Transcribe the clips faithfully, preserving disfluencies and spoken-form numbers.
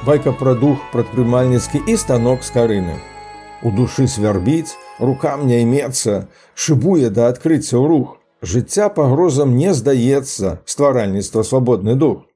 Байка пра дух прадпрымальніцкі і станок з карыны. У душы свярбіць, рукам не імецца, шыбуе да адкрыцця ў рух. Жыцця пагрозам не здаецца, стваральніцтва свабодны дух.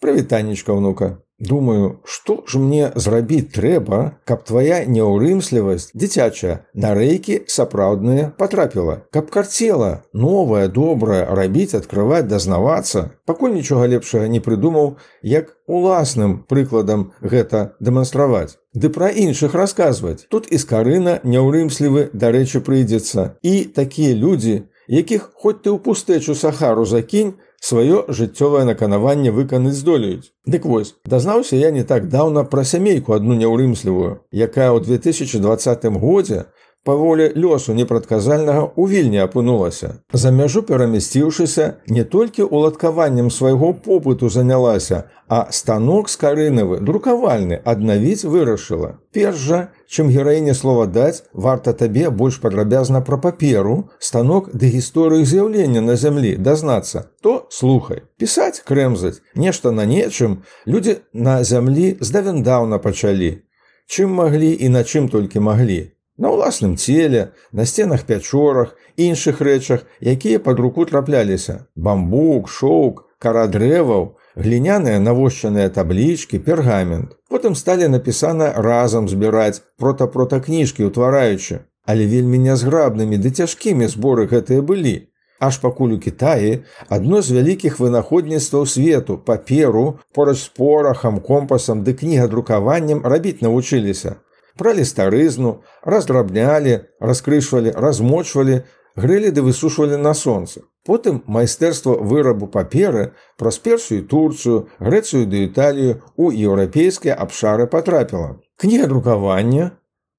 Прывітанечка, ўнука. Думаю, што ж мне зрабіць трэба, каб твая няўрымслівасць, дзіцячая, на рэйкі сапраўдныя патрапіла, каб карцела, новае, добрае, рабіць, адкрываць, дазнавацца. Пакуль нічога лепшага не прыдумаў, як уласным прыкладам гэта дэманстраваць. Ды пра іншых расказваць. Тут і скарына няўрымслівы, дарэчы, прыйдзецца. І такія людзі, якіх хоць ты ў пустэчу Сахару закінь, сваё жыццёвае наканаванне выканаць здолеюць. Дык вось, дазнаўся я не так даўна пра сямейку адну няўрымслівую, якая ў две тысячы дваццатым годзе па волі лёсу непрадказальнага ў Вільні апынулася. За мяжу перамясціўшыся, не толькі уладкаваннем свайго попыту занялася, а станок скарынавы, друкавальны, аднавіць вырашыла. Перш жа, чым гераіне слова даць, варта табе больш падрабязна пра паперу, станок ды гісторыю з'яўлення на зямлі дазнацца. То слухай. Пісаць, крэмзаць, нешта на нечым людзі на зямлі здавен-даўна пачалі. Чым маглі і на чым толькі маглі. На ўласным целе, на сценах пячорах, іншых рэчах, якія пад руку трапляліся. Бамбук, шоўк, кара дрэваў, гліняныя навощаныя таблічкі, пергамент. Потым сталі напісана разам збіраць, прота-прота кніжкі ўтвараючы. Але вельмі нязграбнымі ды цяжкімі зборы гэтыя былі. Аж пакуль у Кітаі адно з вялікіх вынаходніцтваў свету, паперу, порач з порахам, компасам ды кнігадрукаваннем рабіць навучыліся. Бралі старызну, раздрабнялі, раскрышвалі, размочвалі, грэлі ды высушвалі на сонцы. Потым майстэрства вырабу паперы праз Персію і Турцыю, Грэцыю ды Італію ў еўрапейскія абшары патрапіла. Кнігадрукаванне,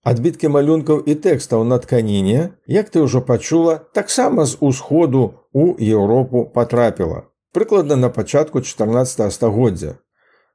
адбіткі малюнкаў і тэкстаў на тканіне, як ты ўжо пачула, таксама з усходу ў Еўропу патрапіла. Прыкладна на пачатку чатырнаццатага стагоддзя.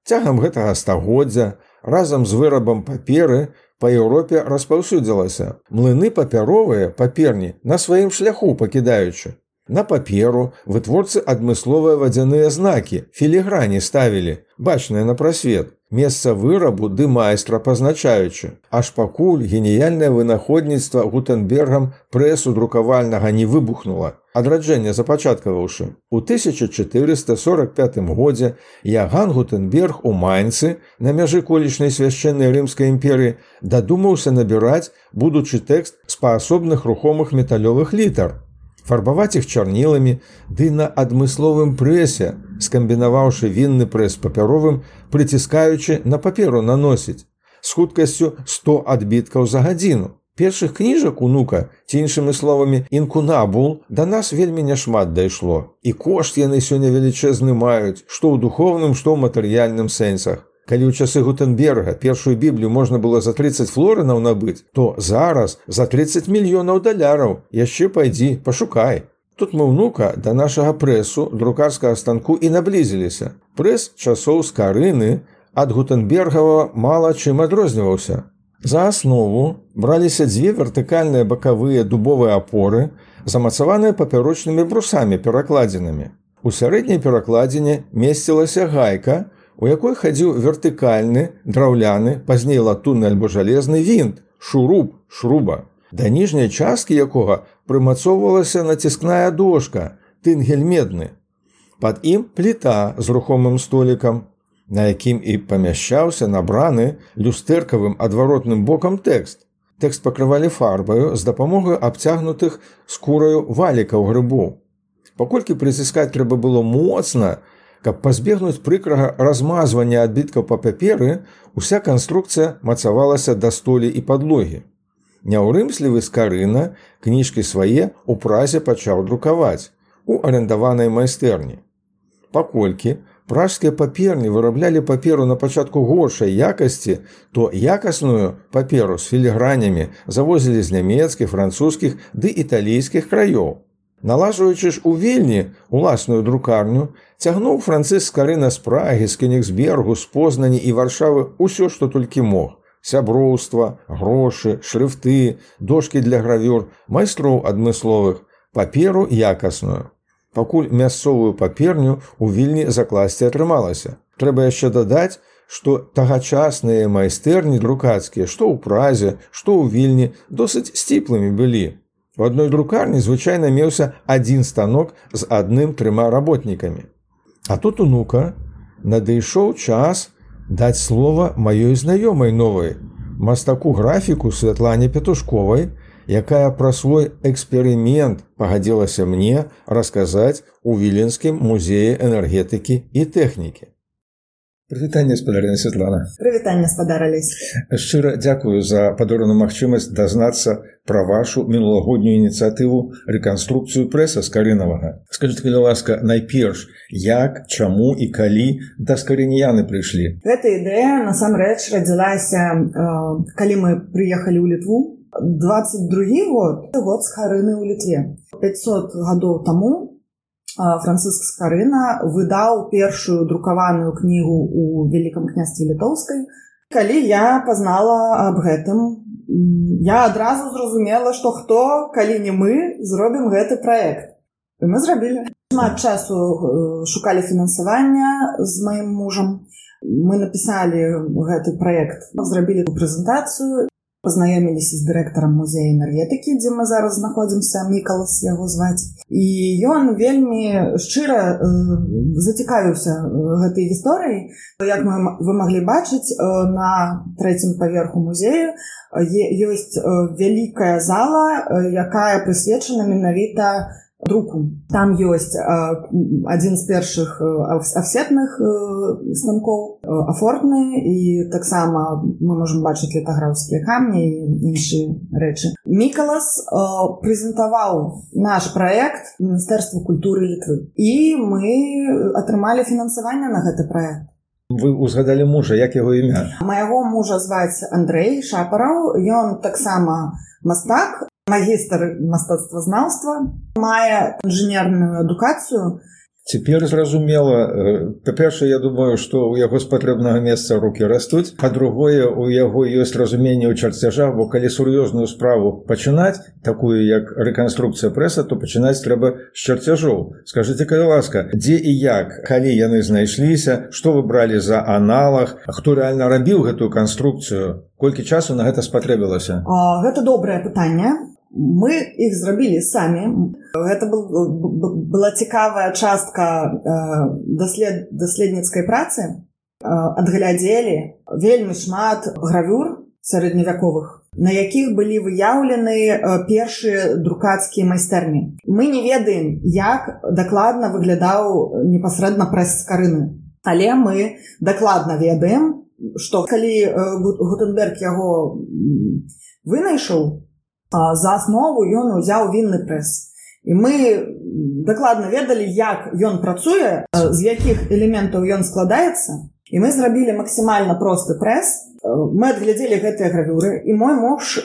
Цягам гэтага стагоддзя разам з вырабам паперы па Еўропе распаўсюдзілася. Млыны папяровыя, паперні, на сваім шляху пакідаючы. На паперу вытворцы адмысловыя вадзяныя знакі, філіграні ставілі, бачныя на прасвет, месца вырабу ды майстра пазначаючы. Аж пакуль геніяльнае вынаходніцтва Гутенбергам прэсу друкавальнага не выбухнула, адраджэнне запачаткаваўшы. У тысяча чатырыста сорак пятым годзе Яган Гутенберг у Майнцы, на мяжы колішняй свяшчэннай рымскай імперыі, дадумаўся набіраць будучы тэкст з паасобных рухомых металёвых літар, фарбаваць іх чарніламі, ды на адмысловым прэсе, скамбінаваўшы вінны прэс папяровым, прыціскаючы на паперу наносіць, з хуткасцю сто адбіткаў за гадзіну. Першых кніжак, унука, ці іншымі словамі інкунабул, да нас вельмі няшмат дайшло. І кошт яны сёння велічэзны маюць, што ў духоўным, што ў матэрыяльным сэнсах. Калі ў часы Гутенберга першую біблію можна было за трыццаць флорынаў набыць, то зараз за трыццаць мільёнаў даляраў. Яшчэ пайдзі, пашукай. Тут мы, унука, да нашага прэсу, друкарскага станку і наблізіліся. Прэс часоў скарыны ад Гутенбергава мала чым адрозніваўся. За аснову браліся дзве вертыкальныя бакавыя дубовыя апоры, замацаваныя папярочнымі брусамі перакладзінамі. У сярэдняй перакладзіне месцілася гайка, у якой хадзіў вертыкальны, драўляны, пазней латунны альбо жалезны вінт, шуруб, шруба, да ніжняй часткі якога прымацоўвалася націскная дошка, тынгель медны. Пад ім пліта з рухомым столікам, на якім і памяшчаўся набраны люстэркавым адваротным бокам тэкст. Тэкст пакрывалі фарбаю з дапамогай абцягнутых скураю валікаў грыбоў. Паколькі прыціскаць трэба было моцна, каб пазбегнуць прыкрага размазвання адбіткаў па паперы, уся канструкцыя мацавалася да столі і падлогі. Няўрымслівы скарына кніжкі свае ў празе пачаў друкаваць у арендаванай майстэрні. Паколькі пражскія паперні выраблялі паперу на пачатку горшай якасці, то якасную паперу з філігранямі завозілі з нямецкіх, французскіх ды італійскіх краёў. Налажваючы ж у Вільні уласную друкарню, цягнуў Францыск Скарына з Прагі, з Кенігсбергу, з Познані і Варшавы ўсё, што толькі мог. Сяброўства, грошы, шрыфты, дошкі для гравюр, майстроў адмысловых, паперу якасную. Пакуль мясцовую паперню у Вільні закласці атрымалася. Трэба яшчэ дадаць, што тагачасныя майстэрні друкацкія, што ў Празе, што ў Вільні, досыць сціплымі былі. У адной друкарні звычайна меўся адзін станок з адным-трыма работнікамі. А тут унука надышоў час даць слова маёй знаёмай новай, мастаку-графіку Святлане Петушковай, якая пра свой эксперымент пагадзілася мне расказаць у Віленскім музеі энергетыкі і тэхнікі. Прывітанне, спадарыня Святлана. Прывітанне, спадар Алесь. Шчыра дзякую за падораную магчымасць дазнацца пра вашу мінулагоднюю ініцыятыву рэканструкцыю прэса Скарынавага. Скажыце, калі ласка, найперш, як, чаму і калі да скарыніяны прыйшлі? Гэта ідэя, насамрэч, радзілася, калі мы прыехалі ў Літву. двадцать другі год, год Скарыны ў Літве. пятьсот гадоў таму Францыск Скарына выдаў першую друкаваную кнігу ў Вялікім княстве Літоўскай. Калі я пазнала аб гэтым, я адразу зразумела, што хто, калі не мы, зробім гэты праект. І мы зрабілі. Шмат часу шукалі фінансавання з маім мужам. Мы напісалі гэты праект, зрабілі прэзентацыю, пазнаёміліся з дырэктарам музея энергетыкі, дзе мы зараз знаходзімся, Мікалас яго зваць. І ён вельмі шчыра э, зацікавіўся гэтай гісторыяй. Як мы, вы маглі бачыць, э, на трэцім паверху музею ёсць э, вялікая зала, э, якая прысвечана менавіта друку. Там ёсць э, адзін з першых э, афсетных э, станкоў, э, афортны, і таксама мы можам бачыць літаграфскія камні і іншыя рэчы. Мікалас э, прэзентаваў наш праект Міністэрству культуры Літвы, і мы атрымалі фінансаванне на гэты праект. Вы узгадалі мужа, як яго імя? Майго мужа зваць Андрэй Шапараў, ён таксама мастак, магістр мастацтвазнаўства, мае інжынерную адукацыю. Цяпер зразумела, па-першае, я думаю, што ў яго з патрэбнага месца рукі растуць, па-другое, у яго ёсць разуменне ў чарцяжах, бо калі сур'ёзную справу пачынаць, такую як рэканструкцыя прэса, то пачынаць трэба з чарцяжоў. Скажыце, калі ласка, дзе і як, калі яны знайшліся, што вы бралі за аналаг, хто рэальна рабіў гэтую канструкцыю, колькі часу на гэта спатрэбілася? А, гэта добрае пытанне. Мы іх зрабілі самі. Гэта был, была цікавая частка даслед, даследніцкай працы. Адглядзелі вельмі шмат гравюр сярэдневяковых, на якіх былі выяўлены першыя друкацкія майстэрні. Мы не ведаем, як дакладна выглядаў непасрэдна прэс Скарыны. Але мы дакладна ведаем, што калі Гутенберг яго вынайшаў, за аснову ён узяў вінны прэс. І мы дакладна ведалі, як ён працуе, з якіх элементаў ён складаецца. І мы зрабілі максімальна просты прэс. Мы адглядзелі гэтыя гравюры, і мой муж,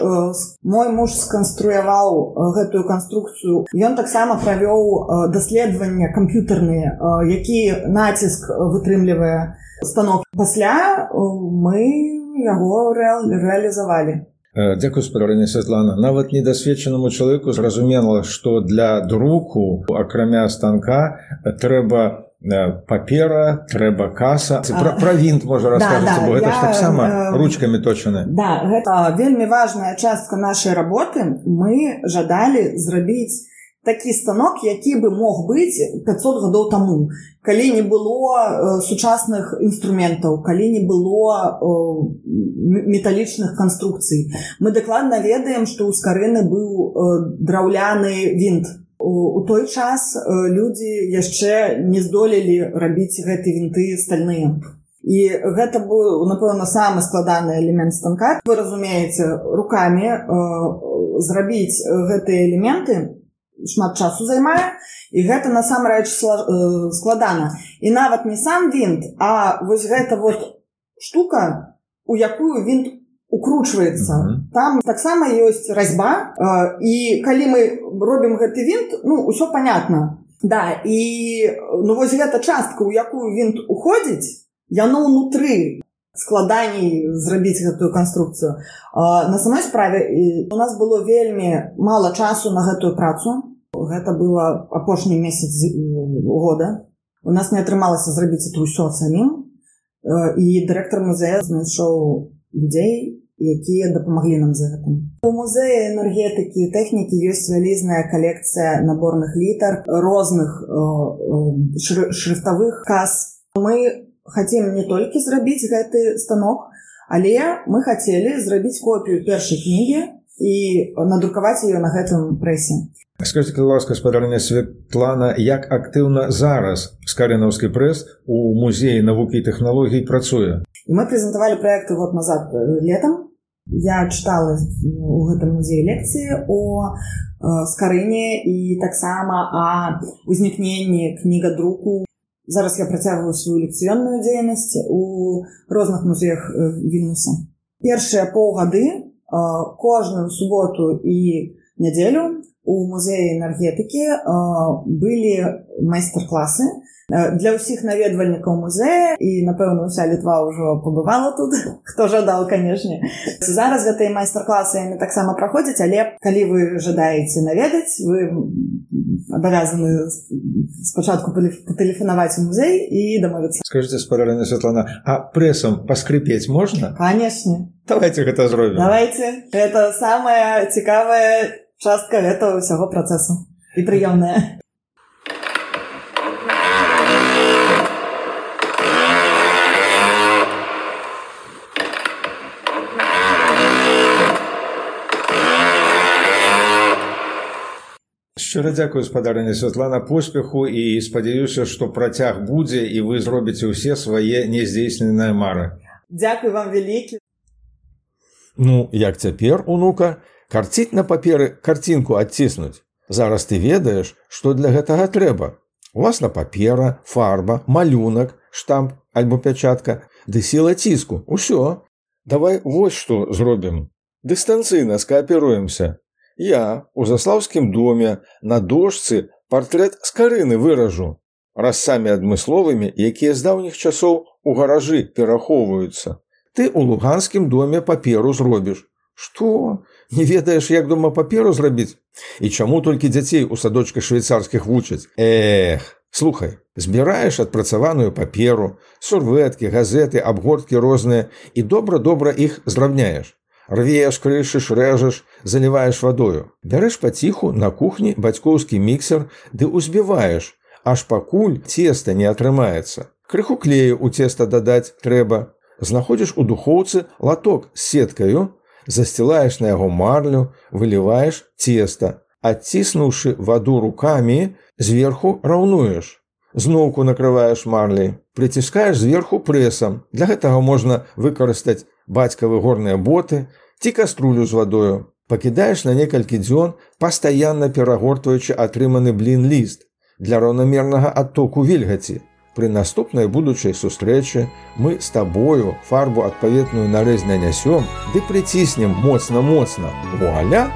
мой муж сканструяваў гэтую канструкцыю. Ён таксама правёў даследаванні камп'ютарныя, які націск вытрымлівае станок. Пасля мы яго рэалізавалі. Дзякую, спадарыня Святлана. Нават недасведчанаму чалавеку зразумела, што для друку, акрамя станка, трэба папера, трэба каса. Пра, пра вінт можа раскажаце, да, да, бо гэта я, ж таксама э, ручкамі точаны. Да, гэта вельмі важная частка нашай работы. Мы жадалі зрабіць такі станок, які бы мог быць пятьсот гадоў таму, калі не было э, сучасных інструментаў, калі не было э, металічных канструкцый. Мы дакладна ведаем, што ў Скарыны быў э, драўляны вінт. У, у той час э, людзі яшчэ не здолелі рабіць гэты вінты стальныя. І гэта быў, напэўна, самы складаны элемент станка. Вы разумееце, рукамі э, зрабіць гэтыя элементы шмат часу займае, і гэта насамрэч складана. І нават не сам вінт, а вось гэта вот штука, у якую вінт укручваецца. Mm-hmm. Там таксама ёсць разьба, і калі мы робім гэты вінт, ну, усё понятно. Да, і ну, вось гэта частка, у якую вінт уходзіць, яно ўнутры складаней зрабіць гэтую канструкцыю. На самой справе у нас было вельмі мала часу на гэтую працу. Гэта было апошні месяц года. У нас не атрымалася зрабіць это ўсё самім. І дырэктар музея знайшоў людзей, якія дапамаглі нам за гэтым. У музеі энергетыкі і тэхнікі ёсць вялізная калекцыя наборных літар, розных шрыфтавых кас. Мы хацім не толькі зрабіць гэты станок, але мы хацелі зрабіць копію першай кнігі і надрукаваць яе на гэтым прэсе. Скажите, ласка, спадарня Светлана, як актыўна зараз скарынаўскі прэс у музеі навукі і тэхналогій працуе? Мы прэзентавалі праекты год назад летом. Я чытала у гэтым музеі лекцыі о скарыне і таксама о ўзнікненні кнігадруку. Зараз я працягваю сваю лекцыённую дзейнасць у розных музеях Вільнюса. Першыя паўгады кожную суботу і нядзелю у музеі энергетыкі былі майстар-класы для ўсіх наведвальнікаў музея, і, напэўна, уся Літва ўжо пабывала тут, хто жадаў, канешне. Зараз гэтыя майстар-класы яны таксама праходзяць, але калі вы жадаеце наведаць, вы абавязаны спачатку патэлефанаваць у музей і дамовіцца. Скажите, спадарня Светлана, а прэсам паскрыпець можна? Канешне. Давайте гэта зробім. Давайте. Гэта самая цікавая частка гэтага ўсяго працэсу. І прыёмная. Шчыра дзякую, спадарня Светлана, поспеху, і спадзяюся, што працяг будзе і вы зробіце ўсе свае няздзейсненыя мары. Дзякуй вам вялікі. Ну, як цяпер, унука, карціць на паперы карцінку адціснуць. Зараз ты ведаеш, што для гэтага трэба. Уласна папера, фарба, малюнак, штамп альбо пячатка, ды сіла ціску. Усё. Давай вось што зробім. Дыстанцыйна скааперуемся. Я у Заслаўскім доме на дошцы партрэт скарыны выражу, разцамі адмысловымі, якія з даўніх часоў у гаражы перахоўваюцца. Ты у Луганскім доме паперу зробіш. Што? Не ведаеш, як дома паперу зрабіць? І чаму толькі дзяцей у садочках швейцарскіх вучаць? Эх, слухай, збіраеш адпрацаваную паперу, сурвэткі, газеты, абгорткі розныя і добра-добра іх здрабняеш. Рвеш, крышыш, рэжаш, заліваеш вадою. Бярэш паціху на кухні бацькоўскі міксер ды ўзбіваеш, аж пакуль цеста не атрымаецца. Крыху клею ў цеста дадаць трэба. Знаходзіш у духоўцы латок з сеткаю, засцілаеш на яго марлю, выліваеш цеста. Адціснуўшы ваду рукамі, зверху раўнуеш. Зноўку накрываеш марляй, прыціскаеш зверху прэсам. Для гэтага можна выкарыстаць бацькавы горныя боты ці каструлю з вадою. Пакідаеш на некалькі дзён, пастаянна перагортваючы атрыманы блін-ліст для раўнамернага адтоку вільгаці. Пры наступнай будучай сустрэчы мы з табою фарбу адпаведную на рэз нанясём ды прыціснем моцна-моцна. Вуаля!